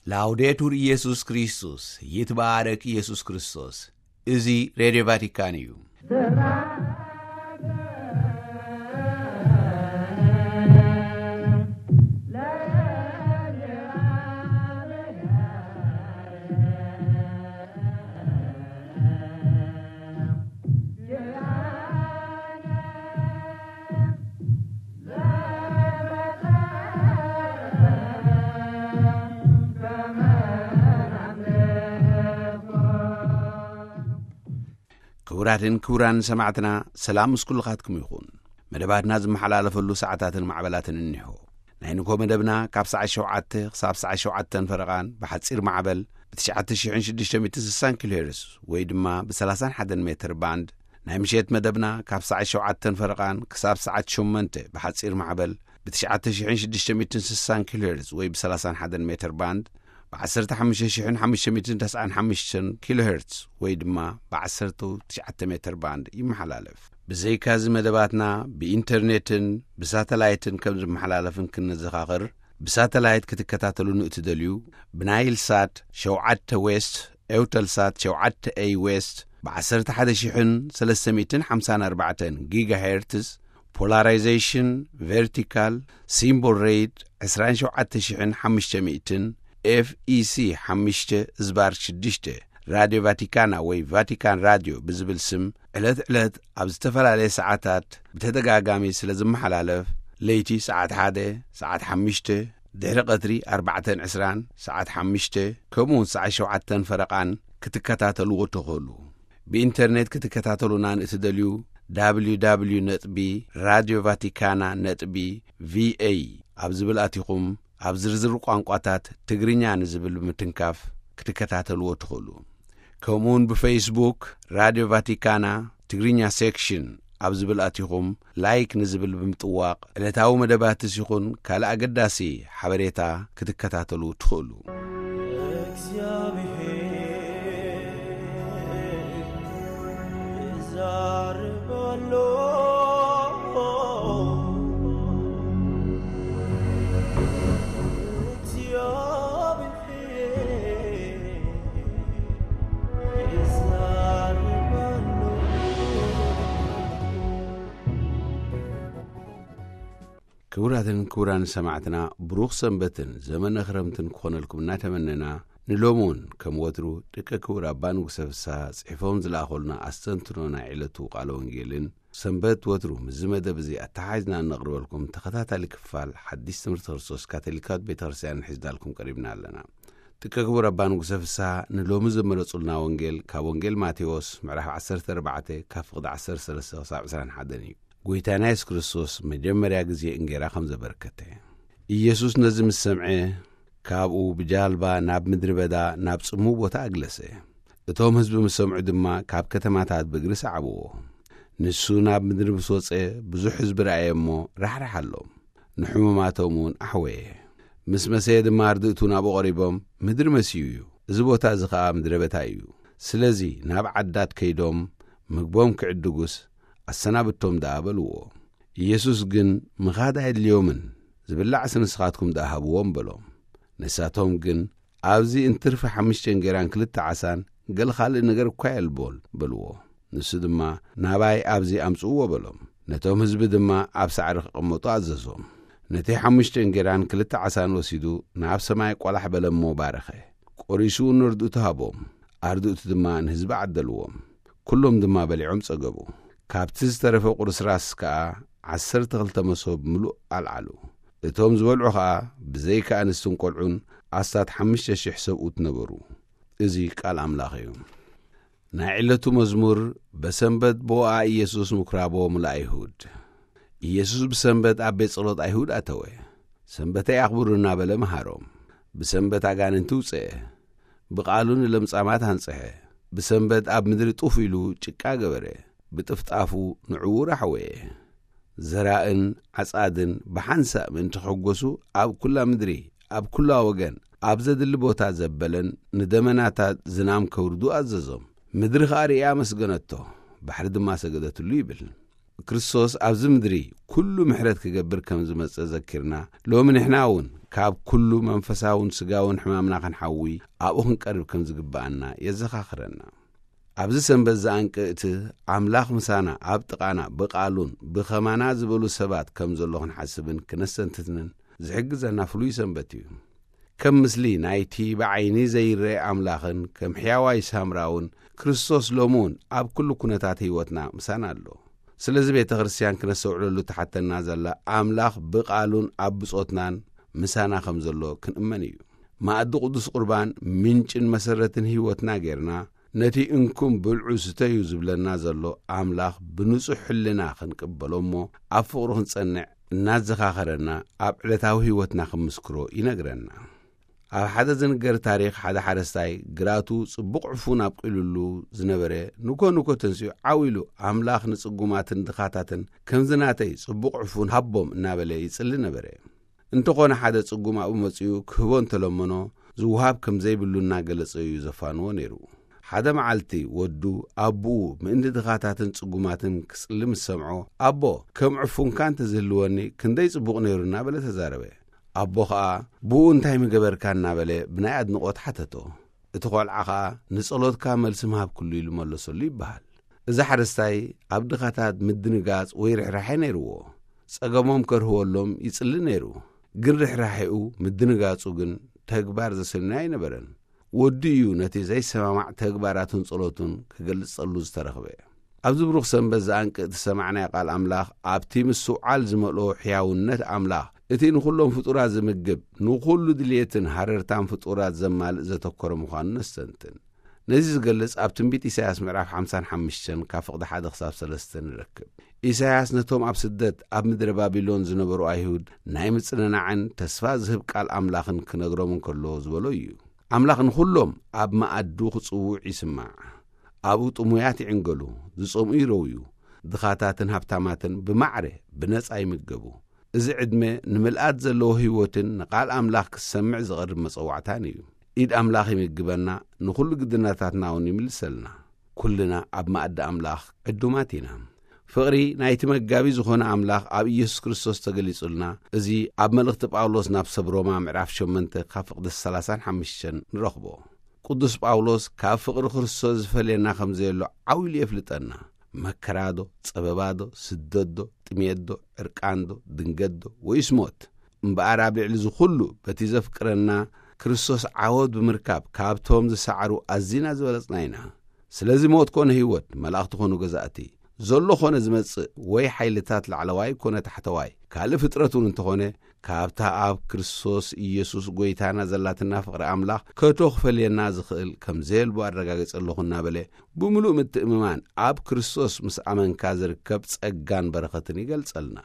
ላውዴቱር ኢየሱስ ክርስቶስ፣ ይትባረክ ኢየሱስ ክርስቶስ። እዚ ሬድዮ ቫቲካን እዩ። ክቡራትን ክቡራን ሰማዕትና፣ ሰላም ምስ ኩልኻትኩም ይኹን። መደባትና ዝመሓላለፈሉ ሰዓታትን ማዕበላትን እኒሆ። ናይ ንግሆ መደብና ካብ ሰዓት ሸውዓተ ክሳብ ሰዓት ሸውዓተን ፈረቓን ብሓጺር ማዕበል ብ ትሽዓተ ሽሕን ሽዱሽተ ሚእትን ስሳን ኪሎ ሄርዝ ወይ ድማ ብ30 ሜትር ባንድ፣ ናይ ምሸት መደብና ካብ ሰዓት ሸውዓተን ፈረቓን ክሳብ ሰዓት ሸሞንተ ብሓጺር ማዕበል ብ ትሽዓተ ሽሕን ሽዱሽተ ሚእትን ስሳን ኪሎ ሄርዝ ወይ ብ30 ሜትር ባንድ፣ ብ ዓሰርተ ሓሙሽተ ሽሕን ሓሙሽተ ሚእትን ተስዓን ሓሙሽተን ኪሎ ሄርዝ ወይ ድማ ብ ዓሰርተ ትሽዓተ ሜትር ባንድ ይመሓላለፍ። ብዘይካዚ መደባትና ብኢንተርኔትን ብሳተላይትን ከም ዝመሓላለፍን ክንዘኻኽር፣ ብሳተላይት ክትከታተሉ ንእትደልዩ፣ ብናይል ሳት ሸውዓተ ዌስት፣ ኤውተል ሳት ሸውዓተ ኤይ ዌስት፣ ብ ዓሰርተ ሓደ ሽሕን ሰለስተ ሚእትን ሓምሳን ኣርባዕተን ጊጋ ሄርትዝ፣ ፖላራይዜሽን ቨርቲካል፣ ሲምቦል ሬት ዕስራን ሸውዓተ ሽሕን ሓሙሽተ ሚእትን፣ ኤፍ ኢ ሲ ሓሙሽተ ዝባር ሽዱሽተ፣ ራድዮ ቫቲካና ወይ ቫቲካን ራድዮ ብዝብል ስም ዕለት ዕለት ኣብ ዝተፈላለየ ሰዓታት ብተደጋጋሚ ስለ ዝመሓላለፍ፣ ለይቲ ሰዓት ሓደ፣ ሰዓት ሓሙሽተ፣ ድሕሪ ቀትሪ ኣርባዕተን ዕስራን፣ ሰዓት ሓሙሽተ፣ ከምኡውን ሰዓት ሸውዓተን ፈረቓን ክትከታተልዎ ትኽእሉ። ብኢንተርኔት ክትከታተሉና ንእትደልዩ፣ www ነጥቢ ራድዮ ቫቲካና ነጥቢ ቪኤ ኣብ ዝብል ኣቲኹም፣ ኣብ ዝርዝር ቋንቋታት ትግርኛ ንዝብል ብምትንካፍ ክትከታተልዎ ትኽእሉ። ከምኡውን ብፌስቡክ ራድዮ ቫቲካና ትግርኛ ሴክሽን ኣብ ዝብል ኣቲኹም፣ ላይክ ንዝብል ብምጥዋቕ ዕለታዊ መደባትስ ይኹን ካልእ ኣገዳሲ ሓበሬታ ክትከታተሉ ትኽእሉ። እግዚኣብሔር ይዛረብ ኣሎ። እግዚኣብሔር ይዛረብ ኣሎ። ክቡራትን ክቡራን ሰማዕትና፣ ብሩኽ ሰንበትን ዘመነ ክረምትን ክኾነልኩም እናተመነና፣ ንሎሚ እውን ከም ወትሩ ደቂ ክቡር ኣባ ንጉሰ ፍስሃ ጽሒፎም ዝለኣኾልና ኣስተንትኖ ናይ ዕለቱ ቃለ ወንጌልን፣ ሰንበት ወትሩ ምስዚ መደብ እዚ ኣተሓሒዝና እነቕርበልኩም ተኸታታሊ ክፋል ሓዲስ ትምህርቲ ክርስቶስ ካቶሊካዊት ቤተ ክርስቲያን ሒዝናልኩም ቀሪብና ኣለና። ደቂ ክቡር ኣባ ንጉሰ ፍስሃ ንሎሚ ዘመረጹልና ወንጌል ካብ ወንጌል ማቴዎስ ምዕራፍ ዓሰርተ ኣርባዕተ ካብ ፍቕዲ ዓሰርተ ሰለስተ ክሳብ ዕስራን ሓደን እዩ። ጐይታና የሱስ ክርስቶስ መጀመርያ ግዜ እንጌራ ከም ዘበርከተ። ኢየሱስ ነዚ ምስ ሰምዐ፣ ካብኡ ብጃልባ ናብ ምድሪ በዳ ናብ ጽምው ቦታ ኣግለሰ። እቶም ህዝቢ ምስ ሰምዑ ድማ ካብ ከተማታት ብእግሪ ሰዓብዎ። ንሱ ናብ ምድሪ ምስ ወጸ፣ ብዙሕ ህዝቢ ረኣየ እሞ ራሕራሓሎም፣ ንሕሙማቶም እውን ኣሕወየ። ምስ መሰየ ድማ ኣርድእቱ ናብኡ ቀሪቦም፣ "ምድሪ መስዩ እዩ፣ እዚ ቦታ እዚ ኸኣ ምድረ በታ እዩ። ስለዚ ናብ ዓዳት ከይዶም ምግቦም ክዕድጉስ ኣሰናብቶም ደኣ" በልዎ። ኢየሱስ ግን፣ "ምኻድ ኣየድልዮምን፣ ዝብላዕስ ንስኻትኩም ደኣ ሃብዎም" በሎም። ንሳቶም ግን፣ "ኣብዚ እንትርፊ ሓሙሽተ እንጌራን ክልተ ዓሳን ገለ ካልእ ነገር እኳ የልቦን" በልዎ። ንሱ ድማ፣ "ናባይ ኣብዚ ኣምጽእዎ" በሎም። ነቶም ህዝቢ ድማ ኣብ ሳዕሪ ክቕመጡ ኣዘዞም። ነቲ ሓሙሽተ እንጌራን ክልተ ዓሳን ወሲዱ ናብ ሰማይ ቆላሕ በለ እሞ ባረኸ። ቆሪሱ ንርድእቱ ሃቦም። ኣርድእቱ ድማ ንህዝቢ ዓደልዎም። ኩሎም ድማ በሊዖም ጸገቡ። ካብቲ ዝተረፈ ቁርስራስ ከኣ ዓሰርተ ክልተ መሶብ ምሉእ ኣልዓሉ። እቶም ዝበልዑ ኸኣ ብዘይካ ኣንስትን ቆልዑን ኣስታት ሓሙሽተ ሽሕ ሰብኡት ነበሩ። እዚ ቃል ኣምላኽ እዩ። ናይ ዕለቱ መዝሙር። በሰንበት ብኦኣ ኢየሱስ ምኩራቦም ለኣይሁድ። ኢየሱስ ብሰንበት ኣብ ቤት ጸሎት ኣይሁድ ኣተወ። "ሰንበተይ ኣኽብሩ" እናበለ መሃሮም። ብሰንበት ኣጋንንቲ ውጽአ። ብቓሉ ንለምጻማት ኣንጽሐ። ብሰንበት ኣብ ምድሪ ጡፍ ኢሉ ጭቃ ገበረ። ብጥፍጣፉ ንዕዉር ኣሕወየ። ዘራእን ዓጻድን ብሓንሳእ ምእንቲ ክሕጎሱ ኣብ ኩላ ምድሪ፣ ኣብ ኩላ ወገን፣ ኣብ ዘድሊ ቦታ ዘበለን ንደመናታት ዝናም ከውርዱ ኣዘዞም። ምድሪ ኸኣ ርእያ ኣመስገነቶ፣ ባሕሪ ድማ ሰገደትሉ ይብል። ክርስቶስ ኣብዚ ምድሪ ኩሉ ምሕረት ክገብር ከም ዝመጸ ዘኪርና፣ ሎሚ ንሕና እውን ካብ ኩሉ መንፈሳውን ስጋውን ሕማምና ክንሓዊ ኣብኡ ክንቀርብ ከም ዝግብኣና የዘኻኽረና። ኣብዚ ሰንበት ዝኣንቅእቲ ኣምላኽ ምሳና ኣብ ጥቓና ብቓሉን ብኸማና ዝበሉ ሰባት ከም ዘሎ ክንሓስብን ክነስተንትንን ዝሕግዘና ፍሉይ ሰንበት እዩ። ከም ምስሊ ናይቲ ብዓይኒ ዘይረአ ኣምላኽን ከም ሕያዋይ ሳምራውን ክርስቶስ ሎሚ እውን ኣብ ኩሉ ኩነታት ህይወትና ምሳና ኣሎ። ስለዚ ቤተ ክርስቲያን ክነስተውዕለሉ ትሓተና ዘላ ኣምላኽ ብቓሉን ኣብ ብጾትናን ምሳና ከም ዘሎ ክንእመን እዩ። ማእዲ ቅዱስ ቁርባን ምንጭን መሰረትን ህይወትና ጌርና ነቲ እንኩም ብልዑ ስተዩ ዝብለና ዘሎ ኣምላኽ ብንጹሕ ሕልና ክንቅበሎ እሞ ኣብ ፍቕሩ ክንጸንዕ እናዘኻኸረና ኣብ ዕለታዊ ህይወትና ክምስክሮ ይነግረና። ኣብ ሓደ ዝንገር ታሪኽ ሓደ ሓረስታይ ግራቱ ጽቡቕ ዕፉን ኣብቂሉሉ ዝነበረ ንኮ ንኮ ተንሲኡ ዓው ኢሉ ኣምላኽ ንጽጉማትን ድኻታትን ከምዚ ናተይ ጽቡቕ ዕፉን ሃቦም እናበለ ይጽሊ ነበረ። እንተኾነ ሓደ ጽጉም ኣብኡ መጺኡ ክህቦ እንተለመኖ ዝውሃብ ከም ዘይብሉ እናገለጸ እዩ ዘፋንዎ ነይሩ። ሓደ መዓልቲ ወዱ ኣቦኡ ምእንቲ ድኻታትን ጽጉማትን ክጽሊ ምስ ሰምዖ፣ ኣቦ ከም ዕፉንካ እንተዝህልወኒ ክንደይ ጽቡቕ ነይሩ እናበለ ተዛረበ። ኣቦ ኸኣ ብኡ እንታይ ምገበርካ እናበለ ብናይ ኣድንቖት ሓተቶ። እቲ ቖልዓ ኸኣ ንጸሎትካ መልሲ ምሃብኩሉ ኢሉ መለሰሉ ይበሃል። እዚ ሓረስታይ ኣብ ድኻታት ምድንጋጽ ወይ ርሕራሐ ነይርዎ። ጸገሞም ከርህወሎም ይጽሊ ነይሩ። ግን ርሕራሐኡ ምድንጋጹ ግን ተግባር ዘሰንዮ ኣይነበረን። ወዲ እዩ ነቲ ዘይሰማማዕ ተግባራቱን ጸሎቱን ክገልጸሉ ዝተረኽበ። ኣብዚ ብሩኽ ሰንበት ዝኣንቅእ ዝሰማዕናዮ ቃል ኣምላኽ ኣብቲ ምስትውዓል ዝመልኦ ሕያውነት ኣምላኽ እቲ ንኹሎም ፍጡራት ዝምግብ ንኹሉ ድልየትን ሃረርታን ፍጡራት ዘማልእ ዘተኮረ ምዃኑ ነስተንትን። ነዚ ዝገልጽ ኣብ ትንቢት ኢሳያስ ምዕራፍ ሓምሳን ሓሙሽተን ካብ ፍቕዲ ሓደ ክሳብ ሰለስተ ንረክብ። ኢሳያስ ነቶም ኣብ ስደት ኣብ ምድረ ባቢሎን ዝነበሩ ኣይሁድ ናይ ምጽንናዕን ተስፋ ዝህብ ቃል ኣምላኽን ክነግሮም እንከሎ ዝበሎ እዩ። ኣምላኽ ንኹሎም ኣብ መኣዱ ክጽውዕ ይስማዕ። ኣብኡ ጥሙያት ይዕንገሉ፣ ዝጸምኡ ይረውዩ፣ ድኻታትን ሃብታማትን ብማዕረ ብነጻ ይምገቡ። እዚ ዕድመ ንምልኣት ዘለዎ ህይወትን ንቓል ኣምላኽ ክሰምዕ ዝቐርብ መጸዋዕታን እዩ። ኢድ ኣምላኽ ይምግበና፣ ንኹሉ ግድነታትና እውን ይምልሰልና። ኩልና ኣብ መኣዲ ኣምላኽ ዕዱማት ኢና። ፍቕሪ ናይቲ መጋቢ ዝኾነ ኣምላኽ ኣብ ኢየሱስ ክርስቶስ ተገሊጹልና፣ እዚ ኣብ መልእኽቲ ጳውሎስ ናብ ሰብ ሮማ ምዕራፍ ሸሞንተ ካብ ፍቕዲ ሰላሳን ሓሙሽተን ንረኽቦ። ቅዱስ ጳውሎስ ካብ ፍቕሪ ክርስቶስ ዝፈልየና ከም ዘየሎ ዓው ኢሉ የፍልጠና። መከራዶ፣ ጸበባዶ፣ ስደትዶ፣ ጥሜትዶ፣ ዕርቃንዶ፣ ድንገትዶ፣ ወይስ ሞት? እምበኣር ኣብ ልዕሊ እዚ ኩሉ በቲ ዘፍቅረና ክርስቶስ ዓወት ብምርካብ ካብቶም ዝሰዓሩ ኣዚና ዝበለጽና ኢና። ስለዚ ሞት ኮነ ህይወት፣ መላእኽቲ ኮኑ ገዛእቲ፣ ዘሎ ኮነ ዝመጽእ፣ ወይ ሓይልታት ላዕለዋይ ኮነ ታሕተዋይ፣ ካልእ ፍጥረት እውን እንተኾነ፣ ካብታ ኣብ ክርስቶስ ኢየሱስ ጐይታና ዘላትና ፍቕሪ ኣምላኽ ከቶ ክፈልየና ዝኽእል ከም ዘየልቦ ኣረጋግጸ ኣለኹ እናበለ፣ ብምሉእ ምትእምማን ኣብ ክርስቶስ ምስ ኣመንካ ዝርከብ ጸጋን በረኸትን ይገልጸልና።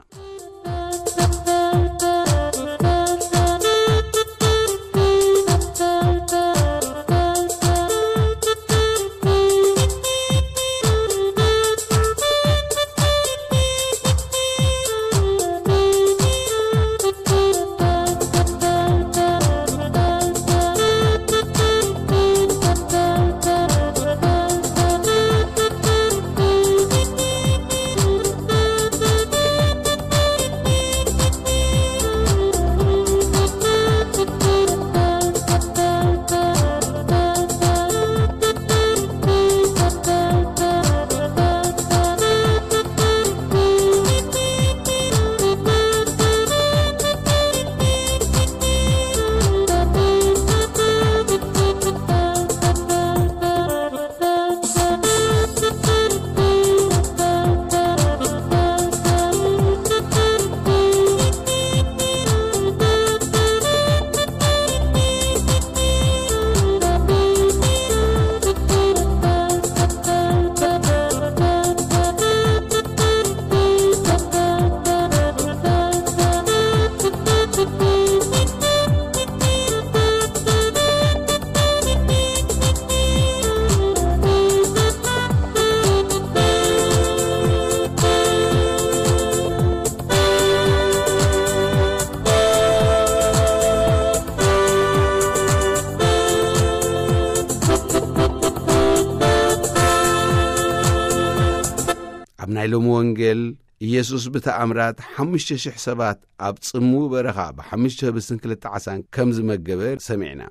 ኣብ ናይ ሎሚ ወንጌል ኢየሱስ ብተኣምራት ሓሙሽተ ሽሕ ሰባት ኣብ ጽምው በረኻ ብሓሙሽተ ህብስትን ክልተ ዓሳን ከም ዝመገበ ሰሚዕና።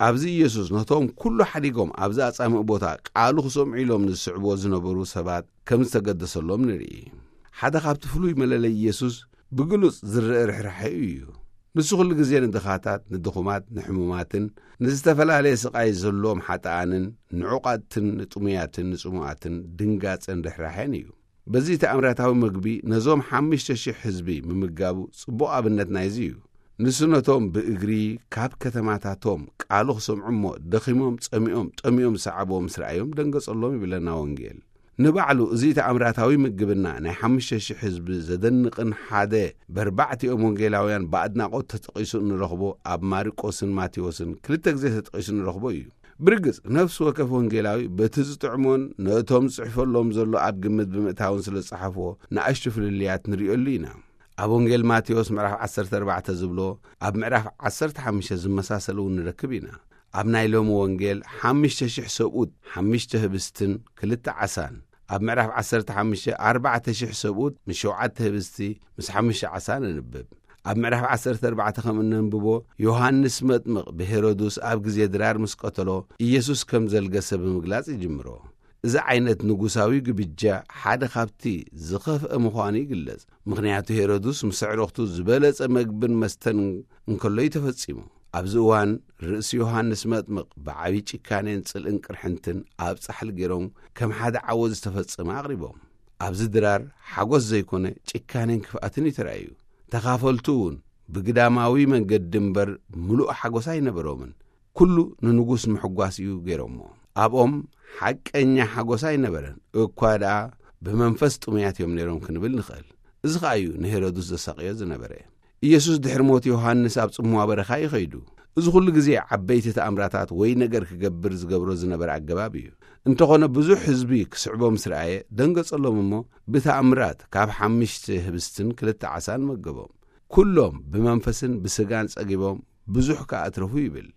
ኣብዚ ኢየሱስ ነቶም ኩሉ ሓዲጎም ኣብዚ ኣጻምእ ቦታ ቃሉ ክሰምዑ ኢሎም ዝስዕብዎ ዝነበሩ ሰባት ከም ዝተገደሰሎም ንርኢ። ሓደ ካብቲ ፍሉይ መለለይ ኢየሱስ ብግሉጽ ዝረአ ርሕራሐ እዩ። ንሱ ኩሉ ግዜ ንድኻታት፣ ንድኹማት፣ ንሕሙማትን ንዝተፈላለየ ስቓይ ዘለዎም ሓጥኣንን ንዑቓትን ንጥሙያትን ንጽሙኣትን ድንጋጸን ርሕራሐን እዩ። በዚ ተኣምራታዊ መግቢ ነዞም ሓሙሽተ ሽሕ ህዝቢ ምምጋቡ ጽቡቕ ኣብነት ናይዚ እዩ። ንሱ ነቶም ብእግሪ ካብ ከተማታቶም ቃሉ ክሰምዑ እሞ ደኺሞም፣ ጸሚኦም፣ ጠሚኦም ዝሰዓብዎም ምስ ረኣዮም ደንገጸሎም ይብለና ወንጌል። ንባዕሉ እዚ ተኣምራታዊ ምግብና ናይ ሓሙሽተ ሽሕ ህዝቢ ዘደንቕን ሓደ በርባዕቲኦም ወንጌላውያን ብኣድናቖት ተጠቒሱ እንረኽቦ ኣብ ማርቆስን ማቴዎስን ክልተ ግዜ ተጠቒሱ እንረኽቦ እዩ። ብርግጽ ነፍሲ ወከፍ ወንጌላዊ በቲ ዝጥዕሞን ነቶም ዝጽሕፈሎም ዘሎ ኣብ ግምት ብምእታውን ስለ ዝጸሓፍዎ ንኣሽቱ ፍልልያት ንርእየሉ ኢና። ኣብ ወንጌል ማቴዎስ ምዕራፍ ዓሰርተ ኣርባዕተ ዝብሎ ኣብ ምዕራፍ ዓሰርተ ሓሙሽተ ዝመሳሰል እውን ንረክብ ኢና። ኣብ ናይ ሎሚ ወንጌል ሓሙሽተ ሽሕ ሰብኡት ሓሙሽተ ህብስትን ክልተ ዓሳን፣ ኣብ ምዕራፍ ዓሰርተ ሓሙሽተ ኣርባዕተ ሽሕ ሰብኡት ምስ ሸውዓተ ህብስቲ ምስ ሓሙሽተ ዓሳ ነንብብ። ኣብ ምዕራፍ ዓሰርተ ኣርባዕተ ከም እነንብቦ ዮሃንስ መጥምቕ ብሄሮድስ ኣብ ግዜ ድራር ምስ ቀተሎ ኢየሱስ ከም ዘልገሰ ብምግላጽ ይጅምሮ። እዚ ዓይነት ንጉሳዊ ግብጃ ሓደ ካብቲ ዝኸፍአ ምዃኑ ይግለጽ። ምኽንያቱ ሄሮድስ ምስ ኣዕሩኽቱ ዝበለጸ መግብን መስተን እንከሎ እዩ ተፈጺሙ። ኣብዚ እዋን ርእሲ ዮሃንስ መጥምቕ ብዓቢ ጭካኔን ጽልእን ቅርሕንትን ኣብ ጻሕሊ ገይሮም ከም ሓደ ዓወት ዝተፈጸመ ኣቕሪቦም። ኣብዚ ድራር ሓጎስ ዘይኮነ ጭካኔን ክፍኣትን እዩ ተራእዩ። ተኻፈልቱ እውን ብግዳማዊ መንገዲ እምበር ምሉእ ሓጎስ ኣይነበሮምን። ኩሉ ንንጉስ ምሕጓስ እዩ ገይሮሞ። ኣብኦም ሓቀኛ ሓጎስ ኣይነበረን፣ እኳ ደኣ ብመንፈስ ጥሙያት እዮም ነይሮም ክንብል ንኽእል። እዚ ኸኣ እዩ ንሄሮድስ ዘሳቕዮ ዝነበረ። ኢየሱስ ድሕሪ ሞት ዮሃንስ ኣብ ጽምዋ በረኻ እዩ ኸይዱ። እዚ ኹሉ ግዜ ዓበይቲ ተኣምራታት ወይ ነገር ክገብር ዝገብሮ ዝነበረ ኣገባብ እዩ። እንተኾነ ብዙሕ ህዝቢ ክስዕቦ ምስ ረኣየ ደንገጸሎም እሞ ብተኣምራት ካብ ሓሙሽተ ህብስትን ክልተ ዓሳን መገቦም። ኩሎም ብመንፈስን ብስጋን ጸጊቦም ብዙሕ ከኣ ኣትረፉ ይብል።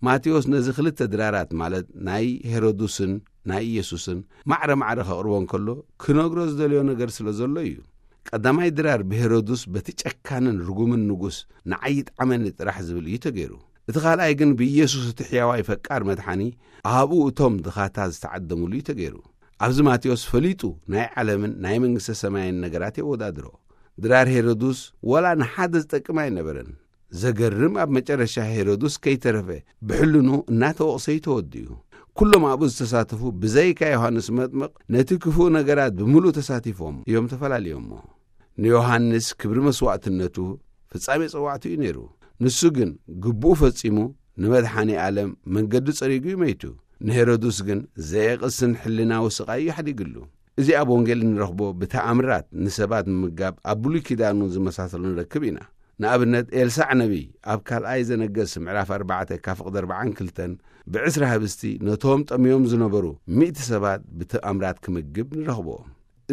ማቴዎስ ነዚ ክልተ ድራራት ማለት ናይ ሄሮድስን ናይ ኢየሱስን ማዕረ ማዕረ ከቕርቦ እንከሎ ክነግሮ ዝደልዮ ነገር ስለ ዘሎ እዩ። ቀዳማይ ድራር ብሄሮድስ በቲ ጨካንን ርጉምን ንጉስ ንዓይ ይጥዓመኒ ጥራሕ ዝብል እዩ ተገይሩ። እቲ ካልኣይ ግን ብኢየሱስ እቲ ሕያዋይ ፈቃር መድሓኒ ኣብኡ እቶም ድኻታት ዝተዓደሙሉ እዩ ተገይሩ። ኣብዚ ማቴዎስ ፈሊጡ ናይ ዓለምን ናይ መንግስተ ሰማይን ነገራት የወዳድሮ። ድራር ሄሮድስ ወላ ንሓደ ዝጠቅም ኣይነበረን። ዘገርም ኣብ መጨረሻ ሄሮድስ ከይተረፈ ብሕልኑ እናተወቕሰ እዩ ተወዲኡ። ኩሎም ኣብኡ ዝተሳተፉ ብዘይካ ዮሃንስ መጥምቕ ነቲ ክፉእ ነገራት ብምሉእ ተሳቲፎም እዮም ተፈላልዮሞ። ንዮሃንስ ክብሪ መስዋዕትነቱ ፍጻሜ ጸዋዕቱ እዩ ነይሩ። ንሱ ግን ግቡኡ ፈጺሙ ንመድሓኒ ዓለም መንገዲ ጸሪጉ እዩ መይቱ። ንሄሮድስ ግን ዘየቕስን ሕልናዊ ስቓይ እዩ ሓዲግሉ። እዚ ኣብ ወንጌል እንረኽቦ ብተኣምራት ንሰባት ምምጋብ ኣብ ብሉይ ኪዳን እውን ዝመሳሰሉ ንረክብ ኢና። ንኣብነት ኤልሳዕ ነቢይ ኣብ ካልኣይ ዘነገስ ምዕራፍ ኣርባዕተ ካብ ፍቕዲ ኣርባዓን ክልተን ብዕስራ ህብስቲ ነቶም ጠምዮም ዝነበሩ ሚእቲ ሰባት ብተኣምራት ክምግብ ንረኽቦ።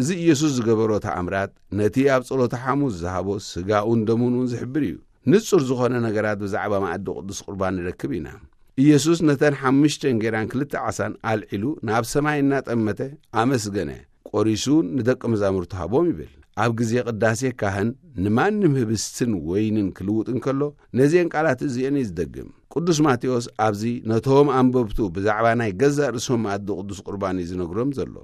እዚ ኢየሱስ ዝገበሮ ተኣምራት ነቲ ኣብ ጸሎተ ሓሙስ ዝሃቦ ስጋኡን ደሙን እውን ዝሕብር እዩ። ንጹር ዝኾነ ነገራት ብዛዕባ መኣዲ ቅዱስ ቁርባን ንረክብ ኢና። ኢየሱስ ነተን ሓሙሽተ እንጌራን ክልተ ዓሳን ኣልዒሉ ናብ ሰማይ እናጠመተ ኣመስገነ፣ ቆሪሱ ንደቀ መዛሙርቱ ሃቦም ይብል። ኣብ ግዜ ቅዳሴ ካህን ንማንም ህብስትን ወይንን ክልውጥ እንከሎ ነዚአን ቃላት እዚአን እዩ ዝደግም። ቅዱስ ማቴዎስ ኣብዚ ነቶም ኣንበብቱ ብዛዕባ ናይ ገዛእ ርእሶም መኣዲ ቅዱስ ቁርባን እዩ ዝነግሮም ዘሎ።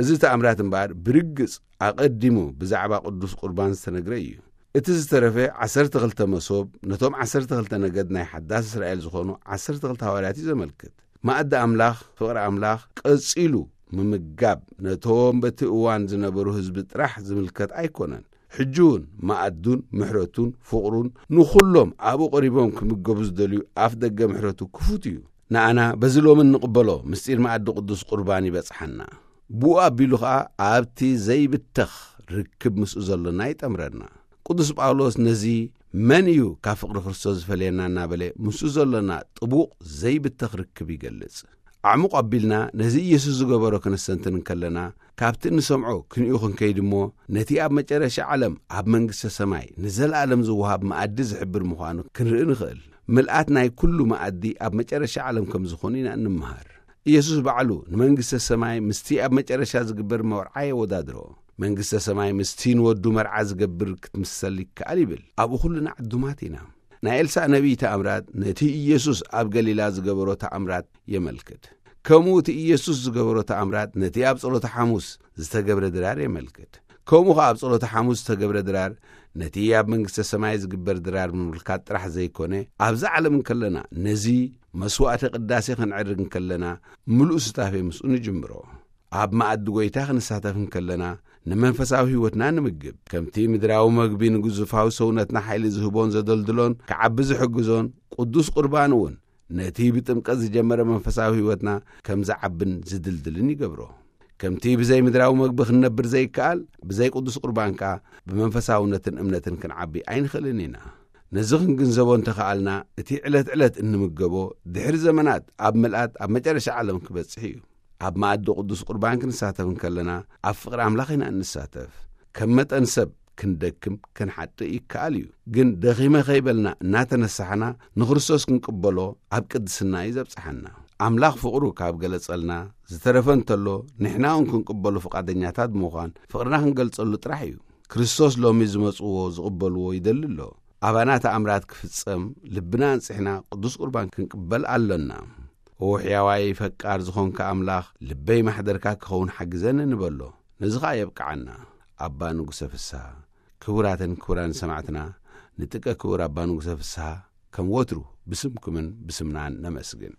እዚ ተኣምራት እምበኣር ብርግጽ ኣቐዲሙ ብዛዕባ ቅዱስ ቁርባን ዝተነግረ እዩ። እቲ ዝተረፈ ዓሰርተ ክልተ መሶብ ነቶም ዓሰርተ ክልተ ነገድ ናይ ሓዳስ እስራኤል ዝኾኑ ዓሰርተ ክልተ ሃዋርያት እዩ ዘመልክት። መኣዲ ኣምላኽ፣ ፍቕሪ ኣምላኽ ቀጺሉ ምምጋብ ነቶም በቲ እዋን ዝነበሩ ህዝቢ ጥራሕ ዝምልከት ኣይኮነን። ሕጂ እውን መኣዱን ምሕረቱን ፍቕሩን ንኹሎም ኣብኡ ቀሪቦም ክምገቡ ዝደልዩ ኣፍ ደገ ምሕረቱ ክፉት እዩ። ንኣና በዚ ሎሚ እንቕበሎ ምስጢር መኣዲ ቅዱስ ቁርባን ይበጽሓና። ብኡ ኣቢሉ ኸኣ ኣብቲ ዘይብተኽ ርክብ ምስኡ ዘሎና ይጠምረና። ቅዱስ ጳውሎስ ነዚ መን እዩ ካብ ፍቕሪ ክርስቶስ ዝፈልየና እናበለ ምስኡ ዘሎና ጥቡቕ ዘይብተኽ ርክብ ይገልጽ። ኣዕሙቕ ኣቢልና ነዚ ኢየሱስ ዝገበሮ ክንስተንትን እንከለና ካብቲ እንሰምዖ ክንኡ ክንከይድ እሞ ነቲ ኣብ መጨረሻ ዓለም ኣብ መንግስተ ሰማይ ንዘለኣለም ዝወሃብ መኣዲ ዝሕብር ምዃኑ ክንርኢ ንኽእል። ምልኣት ናይ ኩሉ መኣዲ ኣብ መጨረሻ ዓለም ከም ዝኾኑ ኢና እንምሃር። ኢየሱስ ባዕሉ ንመንግስተ ሰማይ ምስቲ ኣብ መጨረሻ ዝግበር መርዓ የወዳድሮ። መንግስተ ሰማይ ምስቲ ንወዱ መርዓ ዝገብር ክትምሰል ይከኣል ይብል። ኣብኡ ኩልና ዕዱማት ኢና። ናይ ኤልሳእ ነቢይ ተኣምራት ነቲ ኢየሱስ ኣብ ገሊላ ዝገበሮ ተኣምራት የመልክት። ከምኡ እቲ ኢየሱስ ዝገበሮ ተኣምራት ነቲ ኣብ ጸሎተ ሓሙስ ዝተገብረ ድራር የመልክት። ከምኡ ኸኣ ኣብ ጸሎተ ሓሙስ ዝተገብረ ድራር ነቲ ኣብ መንግስተ ሰማይ ዝግበር ድራር ምምልካት ጥራሕ ዘይኮነ፣ ኣብዛ ዓለም እንከለና ነዚ መስዋዕተ ቅዳሴ ክንዕርግ እንከለና ምሉእ ስታፌ ምስኡ ንጅምሮ። ኣብ መኣዲ ጐይታ ክንሳተፍ እንከለና ንመንፈሳዊ ህይወትና ንምግብ። ከምቲ ምድራዊ መግቢ ንግዙፋዊ ሰውነትና ሓይሊ ዝህቦን ዘደልድሎን ክዓቢ ዝሕግዞን ቅዱስ ቁርባን እውን ነቲ ብጥምቀት ዝጀመረ መንፈሳዊ ህይወትና ከም ዝዓብን ዝድልድልን ይገብሮ። ከምቲ ብዘይ ምድራዊ መግቢ ክንነብር ዘይከኣል፣ ብዘይ ቅዱስ ቁርባን ከኣ ብመንፈሳውነትን እምነትን ክንዓቢ ኣይንኽእልን ኢና። ነዚ ክንግንዘቦ እንተኸኣልና፣ እቲ ዕለት ዕለት እንምገቦ ድሕሪ ዘመናት ኣብ ምልኣት ኣብ መጨረሻ ዓለም ክበጽሕ እዩ። ኣብ መኣዲ ቅዱስ ቁርባን ክንሳተፍ እንከለና ኣብ ፍቕሪ ኣምላኽ ኢና እንሳተፍ። ከም መጠን ሰብ ክንደክም ክንሓጥእ ይከኣል እዩ። ግን ደኺመ ከይበልና እናተነሳሕና ንክርስቶስ ክንቅበሎ ኣብ ቅድስና እዩ ዘብጽሓና። ኣምላኽ ፍቕሩ ካብ ገለጸልና ዝተረፈ እንተሎ ንሕና እውን ክንቅበሎ ፍቓደኛታት ብምዃን ፍቕርና ክንገልጸሉ ጥራሕ እዩ። ክርስቶስ ሎሚ ዝመጽዎ ዝቕበልዎ ይደሊ ኣሎ። ኣባና ተኣምራት ክፍጸም ልብና ኣንጽሕና ቅዱስ ቁርባን ክንቅበል ኣሎና። ኦ ሕያዋይ ፈቃር ዝኾንካ ኣምላኽ ልበይ ማሕደርካ ክኸውን ሓግዘኒ ንበሎ። ነዚ ኸኣ የብቅዓና። ኣባ ንጉሰ ፍስሃ። ክቡራትን ክቡራን ሰማዕትና፣ ንጥቀ ክቡር ኣባ ንጉሰ ፍስሃ ከም ወትሩ ብስምኩምን ብስምናን ነመስግን።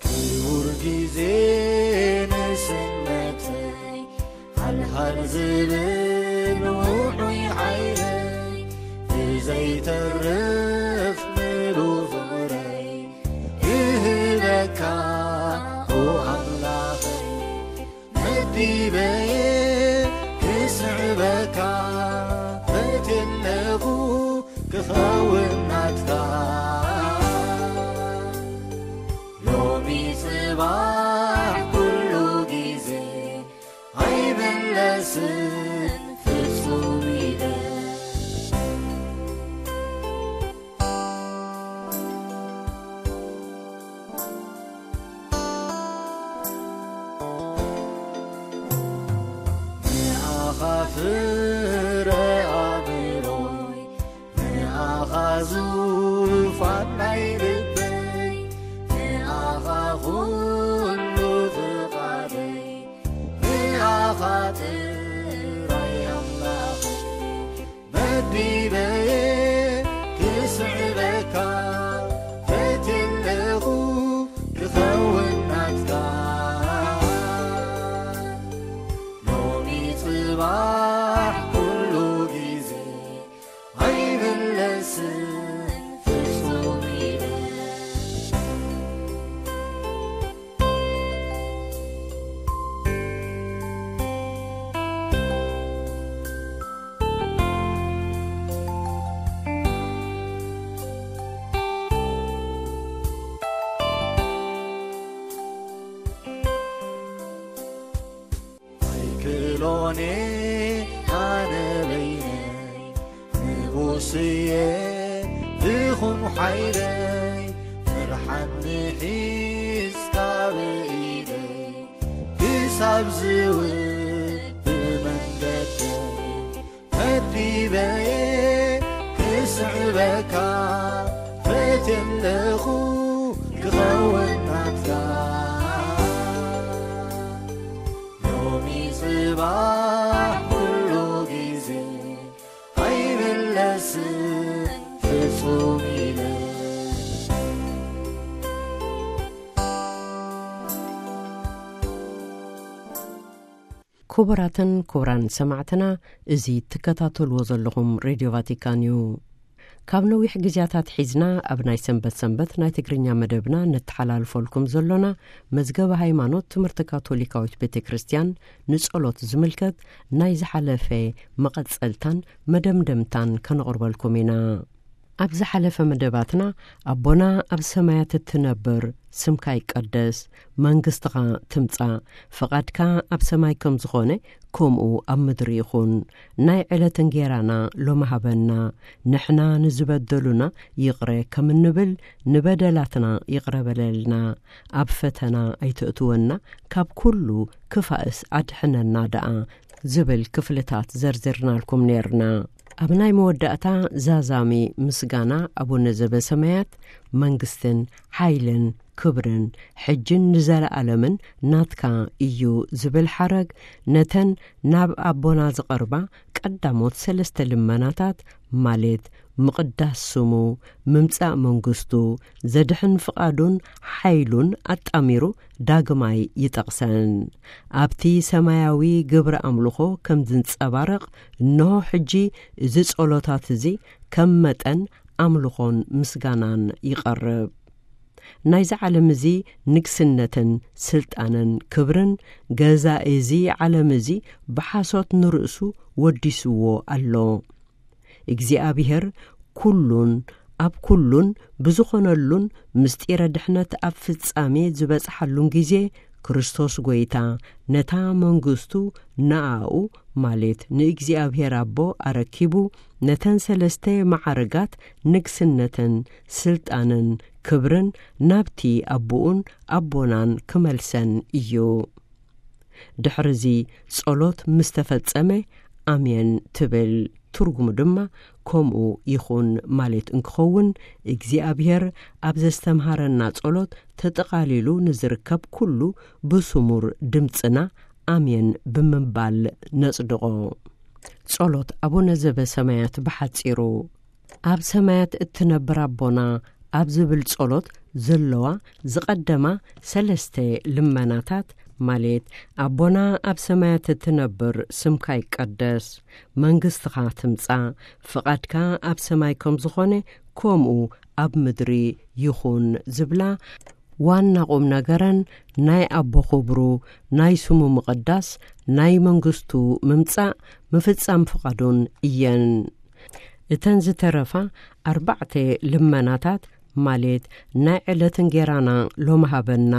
ክቡር ግዜ ንስነተይ ሃልሃል ዝብል ውዑይ ሓይለይ ብዘይተርፍ ምሉእ ፍቕረይ እህበካ ኦ ኣምላኸይ። መዲበየ ክስዕበካ ፈትየለኹ ክኸውን ናትካ። ሎሚ ጽባሕ ኩሉ ግዜ ኣይምለስን ፍጹም ኢለ። ንኣኻ ፍረ ኣእምሮይ፣ ንኣኻ ዙፋን ናይ ልበይ፣ ንኣኻ ኩሉ ፍቓደይ፣ ንኣኻ ጥራይ ኣምላኸይ። መዲበየ ክስዕበካ ፈትየለኹ ክኸውን ናትካ። ሎሚ ጽባሕ ኩሉ ግዜ ኣይምለስን ፍጹም ኢለ። ኣይክእሎን ኣነ በይነይ ንጉስየ ብኹም ሓይለይ ፍርሓት ንሒዝካ ብኢደይ ክሳብ ዝውብ መንገደይ መዲበየ ክስዕበካ ፈትየለኹ ክኸውን ናትካ። ሎሚ ጽባሕ ኩሉ ግዜ ኣይምለስን ፍጹም ኢለ። ክቡራትን ክቡራን ሰማዕትና፣ እዚ ትከታተልዎ ዘለኹም ሬድዮ ቫቲካን እዩ። ካብ ነዊሕ ግዜያት ኣትሒዝና ኣብ ናይ ሰንበት ሰንበት ናይ ትግርኛ መደብና ነተሓላልፈልኩም ዘሎና መዝገበ ሃይማኖት ትምህርቲ ካቶሊካዊት ቤተ ክርስቲያን ንጸሎት ዝምልከት ናይ ዝሓለፈ መቐጸልታን መደምደምታን ከነቕርበልኩም ኢና። ኣብ ዝሓለፈ መደባትና፣ ኣቦና ኣብ ሰማያት እትነብር፣ ስምካ ይቀደስ፣ መንግስትኻ ትምጻእ፣ ፍቓድካ ኣብ ሰማይ ከም ዝኾነ ከምኡ ኣብ ምድሪ ይኹን፣ ናይ ዕለት እንጌራና ሎሚ ሃበና፣ ንሕና ንዝበደሉና ይቕረ ከም እንብል፣ ንበደላትና ይቕረ በለልና፣ ኣብ ፈተና ኣይተእትወና፣ ካብ ኩሉ ክፋእስ ኣድሕነና ደኣ ዝብል ክፍልታት ዘርዚርናልኩም ኔርና። ኣብ ናይ መወዳእታ ዛዛሚ ምስጋና ኣቡነ ዘበሰማያት፣ መንግስትን ሓይልን ክብርን ሕጅን ንዘለኣለምን ናትካ እዩ ዝብል ሓረግ፣ ነተን ናብ ኣቦና ዝቐርባ ቀዳሞት ሰለስተ ልመናታት፣ ማለት ምቕዳስ ስሙ፣ ምምጻእ መንግስቱ፣ ዘድሕን ፍቓዱን ሓይሉን ኣጣሚሩ ዳግማይ ይጠቕሰን። ኣብቲ ሰማያዊ ግብረ ኣምልኾ ከም ዝንጸባረቕ፣ እንሆ ሕጂ እዚ ጸሎታት እዚ ከም መጠን ኣምልኾን ምስጋናን ይቐርብ። ናይዚ ዓለም እዚ ንግስነትን ስልጣንን ክብርን፣ ገዛኢ እዚ ዓለም እዚ ብሓሶት ንርእሱ ወዲስዎ ኣሎ። እግዚኣብሔር ኩሉን ኣብ ኩሉን ብዝኾነሉን፣ ምስጢረ ድሕነት ኣብ ፍጻሜ ዝበጽሓሉን ግዜ፣ ክርስቶስ ጐይታ ነታ መንግስቱ ንኣኡ፣ ማለት ንእግዚኣብሔር ኣቦ ኣረኪቡ፣ ነተን ሰለስተ ማዕርጋት ንግስነትን ስልጣንን ክብርን ናብቲ ኣቦኡን ኣቦናን ክመልሰን እዩ። ድሕርዚ ጸሎት ምስ ተፈጸመ፣ ኣሜን ትብል። ትርጉሙ ድማ ከምኡ ይኹን ማለት እንክኸውን፣ እግዚኣብሔር ኣብ ዘስተምሃረና ጸሎት ተጠቓሊሉ ንዝርከብ ኩሉ ብስሙር ድምጽና ኣሜን ብምባል ነጽድቖ። ጸሎት ኣቡነ ዘበሰማያት ብሓጺሩ። ኣብ ሰማያት እትነብር ኣቦና ኣብ ዝብል ጸሎት ዘለዋ ዝቐደማ ሰለስተ ልመናታት፣ ማለት ኣቦና ኣብ ሰማያት እትነብር፣ ስምካ ይቀደስ፣ መንግስትኻ ትምጻእ፣ ፍቓድካ ኣብ ሰማይ ከም ዝኾነ ከምኡ ኣብ ምድሪ ይኹን ዝብላ ዋና ቁም ነገረን ናይ ኣቦ ክብሩ፣ ናይ ስሙ ምቕዳስ፣ ናይ መንግስቱ ምምጻእ፣ ምፍጻም ፍቓዱን እየን። እተን ዝተረፋ ኣርባዕተ ልመናታት፣ ማለት ናይ ዕለት እንጌራና ሎሚ ሃበና፣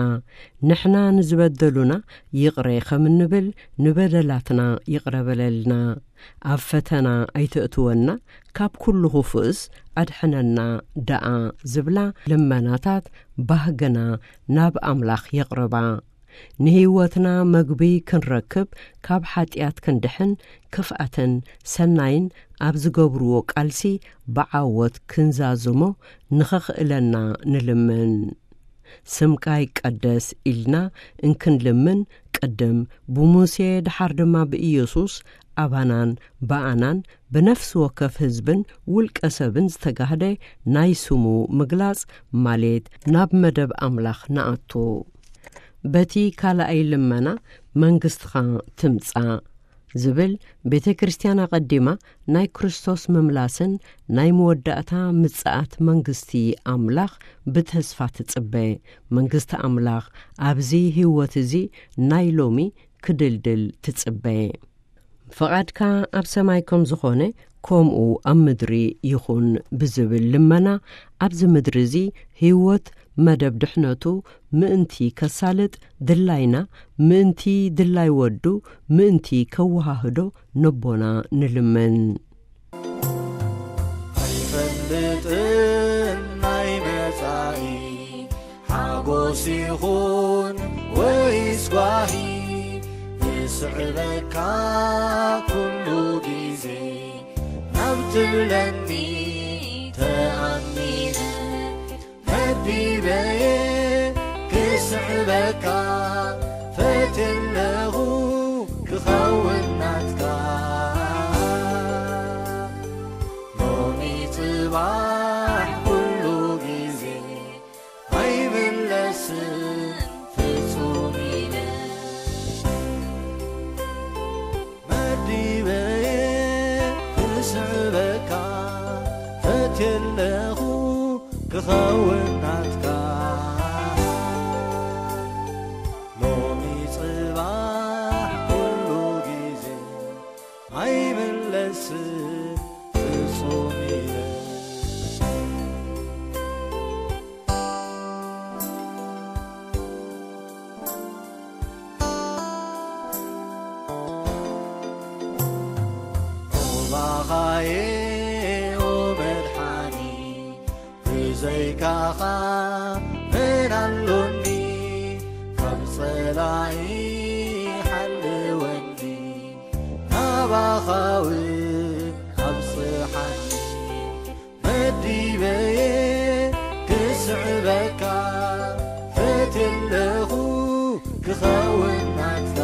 ንሕና ንዝበደሉና ይቕረ ከም እንብል ንበደላትና ይቕረ በለልና፣ ኣብ ፈተና ኣይተእትወና፣ ካብ ኩሉ ክፉእስ ኣድሕነና ደኣ ዝብላ ልመናታት ባህግና ናብ ኣምላኽ የቕርባ። ንህይወትና መግቢ ክንረክብ፣ ካብ ሓጢኣት ክንድሕን፣ ክፍኣትን ሰናይን ኣብ ዝገብርዎ ቃልሲ ብዓወት ክንዛዝሞ ንኸኽእለና ንልምን። ስምካ ይቀደስ ኢልና እንክንልምን፣ ቅድም ብሙሴ፣ ደሓር ድማ ብኢየሱስ ኣባናን ብኣናን ብነፍሲ ወከፍ ህዝብን ውልቀ ሰብን ዝተጋህደ ናይ ስሙ ምግላጽ፣ ማለት ናብ መደብ ኣምላኽ ንኣቱ። በቲ ካልኣይ ልመና፣ መንግስትኻ ትምጻእ ዝብል፣ ቤተ ክርስቲያን ኣቐዲማ ናይ ክርስቶስ ምምላስን ናይ መወዳእታ ምጽኣት መንግስቲ ኣምላኽ ብተስፋ ትጽበ። መንግስቲ ኣምላኽ ኣብዚ ህይወት እዚ ናይ ሎሚ ክድልድል ትጽበ። ፍቓድካ ኣብ ሰማይ ከም ዝኾነ፣ ከምኡ ኣብ ምድሪ ይኹን ብዝብል ልመና፣ ኣብዚ ምድሪ እዚ ህይወት መደብ ድሕነቱ ምእንቲ ከሳልጥ፣ ድላይና ምእንቲ ድላይ ወዱ ምእንቲ ከወሃህዶ ነቦና ንልምን። ኣይፈልጥን ናይ መጻኢ ሓጎስ ይኹን ወይስ ጓሂ፣ ዝስዕበካ ኩሉ ግዜ ናብ ትብለኒ ተኣሚነ፣ መዲበየ ክስዕበካ ፈትለኹ ክኸውን ናትካ። ሎሚ ጽባሕ ኩሉ ግዜ ኣይምለስን ፍጹም ኢለ፣ መዲበየ ክስዕበካ ፈትየለኹ ክኸውን ናትካ። ሎሚ ጽባሕ ኩሉ ግዜ ኣይምለስን ፍጹም ኢለ፣ ኣየ ኦ መድሓኒ፣ ብዘይካኻ መን ኣሎኒ? ካብ ጸላኢ ሓልወኒ፣ ናባኻ እውን ኣብጽሓኒ። መዲበየ ክስዕበካ፣ ፈትየለኹ ክኸውን ናትካ።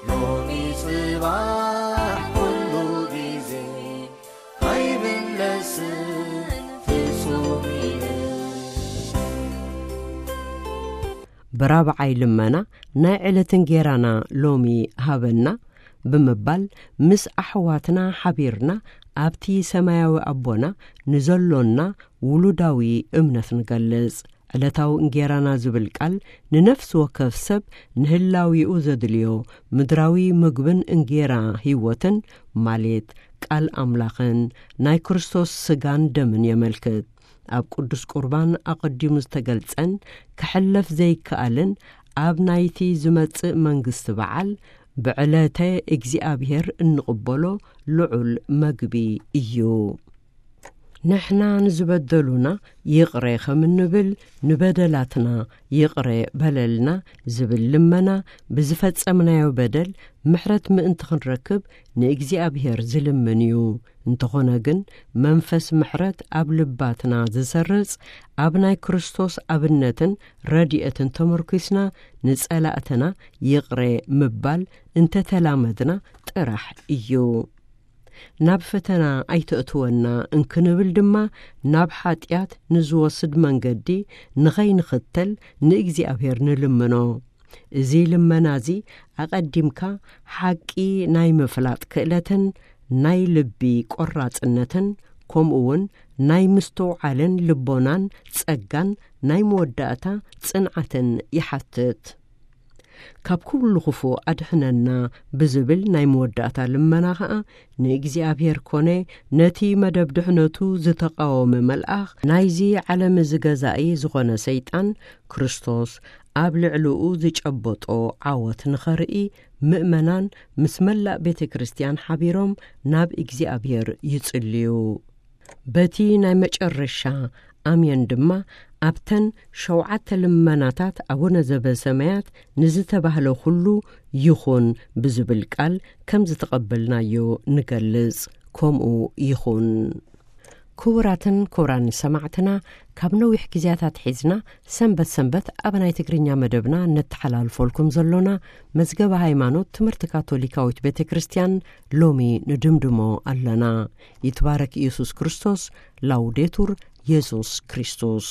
ሎሚ ጽባሕ ኩሉ ግዜ ኣይምለስን ፍጹም ኢለ። ብራብዓይ ልመና ናይ ዕለት እንጌራና ሎሚ ሃበና ብምባል ምስ ኣሕዋትና ሓቢርና ኣብቲ ሰማያዊ ኣቦና ንዘሎና ውሉዳዊ እምነት ንገልጽ። ዕለታዊ እንጌራና ዝብል ቃል ንነፍሲ ወከፍ ሰብ ንህላዊኡ ዘድልዮ ምድራዊ ምግብን እንጌራ ህይወትን፣ ማለት ቃል ኣምላኽን ናይ ክርስቶስ ስጋን ደምን የመልክት። ኣብ ቅዱስ ቁርባን ኣቐዲሙ ዝተገልጸን ክሕለፍ ዘይከኣልን ኣብ ናይቲ ዝመጽእ መንግስቲ በዓል ብዕለተ እግዚኣብሔር እንቕበሎ ልዑል መግቢ እዩ። ንሕና ንዝበደሉና ይቕረ ከም እንብል፣ ንበደላትና ይቕረ በለልና ዝብል ልመና፣ ብዝፈጸምናዮ በደል ምሕረት ምእንቲ ክንረክብ ንእግዚኣብሔር ዝልምን እዩ። እንተኾነ ግን፣ መንፈስ ምሕረት ኣብ ልባትና ዝሰርጽ፣ ኣብ ናይ ክርስቶስ ኣብነትን ረድኤትን ተመርኲስና ንጸላእትና ይቕረ ምባል እንተተላመድና ጥራሕ እዩ። ናብ ፈተና ኣይተእትወና እንክንብል ድማ፣ ናብ ሓጢኣት ንዝወስድ መንገዲ ንኸይንኽተል ንእግዚኣብሔር ንልምኖ። እዚ ልመና እዚ ኣቐዲምካ ሓቂ ናይ ምፍላጥ ክእለትን ናይ ልቢ ቆራጽነትን፣ ከምኡ እውን ናይ ምስትውዓልን ልቦናን ጸጋን ናይ መወዳእታ ጽንዓትን ይሓትት። ካብ ኩሉ ክፉእ ኣድሕነና ብዝብል ናይ መወዳእታ ልመና ኸኣ፣ ንእግዚኣብሔር ኮነ ነቲ መደብ ድሕነቱ ዝተቃወመ መልኣኽ ናይዚ ዓለም እዚ ገዛኢ ዝኾነ ሰይጣን፣ ክርስቶስ ኣብ ልዕሊኡ ዝጨበጦ ዓወት ንኸርኢ፣ ምእመናን ምስ መላእ ቤተ ክርስቲያን ሓቢሮም ናብ እግዚኣብሔር ይጽልዩ። በቲ ናይ መጨረሻ ኣሜን ድማ፣ ኣብተን ሸውዓተ ልመናታት ኣቡነ ዘበሰማያት ንዝተባህለ ኩሉ ይኹን ብዝብል ቃል ከም ዝተቐበልናዮ ንገልጽ። ከምኡ ይኹን። ክቡራትን ክቡራን ሰማዕትና፣ ካብ ነዊሕ ግዜያት ኣትሒዝና ሰንበት ሰንበት ኣብ ናይ ትግርኛ መደብና ነተሓላልፈልኩም ዘሎና መዝገበ ሃይማኖት ትምህርቲ ካቶሊካዊት ቤተ ክርስቲያን ሎሚ ንድምድሞ ኣለና። ይትባረክ ኢየሱስ ክርስቶስ። ላውዴቱር የሱስ ክርስቶስ።